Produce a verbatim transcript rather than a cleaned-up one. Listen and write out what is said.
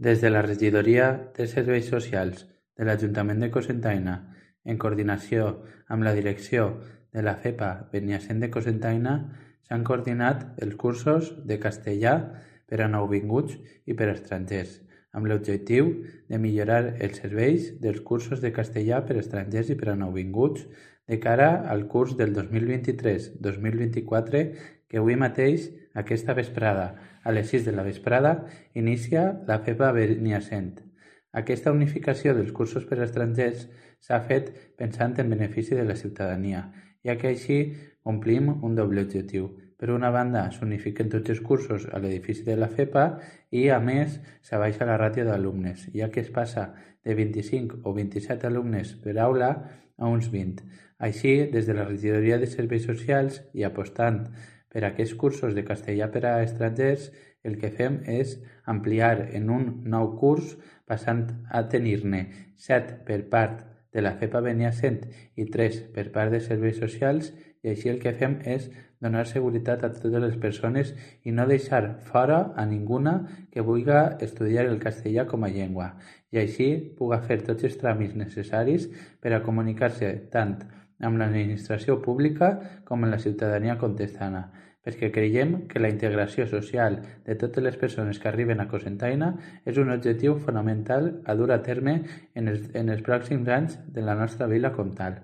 Des de la Regidoria de Serveis Socials de l'Ajuntament de Cocentaina, en coordinació amb la direcció de la FEPA Beniassent de Cocentaina, s'han coordinat els cursos de castellà per a nouvinguts i per a estrangers, amb l'objectiu de millorar els serveis dels cursos de castellà per a estrangers i per a nouvinguts de cara al curs del dos mil vint-i-tres dos mil vint-i-quatre que avui mateix, aquesta vesprada, a les sis de la vesprada, inicia la FEPA Beniassent. Aquesta unificació dels cursos per a estrangers s'ha fet pensant en benefici de la ciutadania, ja que així complim un doble objectiu. Per una banda, s'unifiquen tots els cursos a l'edifici de la FEPA i, a més, s'abaixa la ràtio d'alumnes, ja que es passa de vint-i-cinc o vint-i-set alumnes per aula a uns vint. Així, des de la Regidoria de Serveis Socials i apostant per a aquests cursos de castellà per a estrangers, el que fem és ampliar en un nou curs, passant a tenir-ne set per part de la FEPA Beniassent i tres per part de Serveis Socials, i així el que fem és donar seguretat a totes les persones i no deixar fora a ninguna que vulgui estudiar el castellà com a llengua, i així pugui fer tots els tràmits necessaris per a comunicar-se tant amb l'administració pública com amb la ciutadania contestana, perquè creiem que la integració social de totes les persones que arriben a Cocentaina és un objectiu fonamental a dur a terme en els, en els pròxims anys de la nostra vila comtal.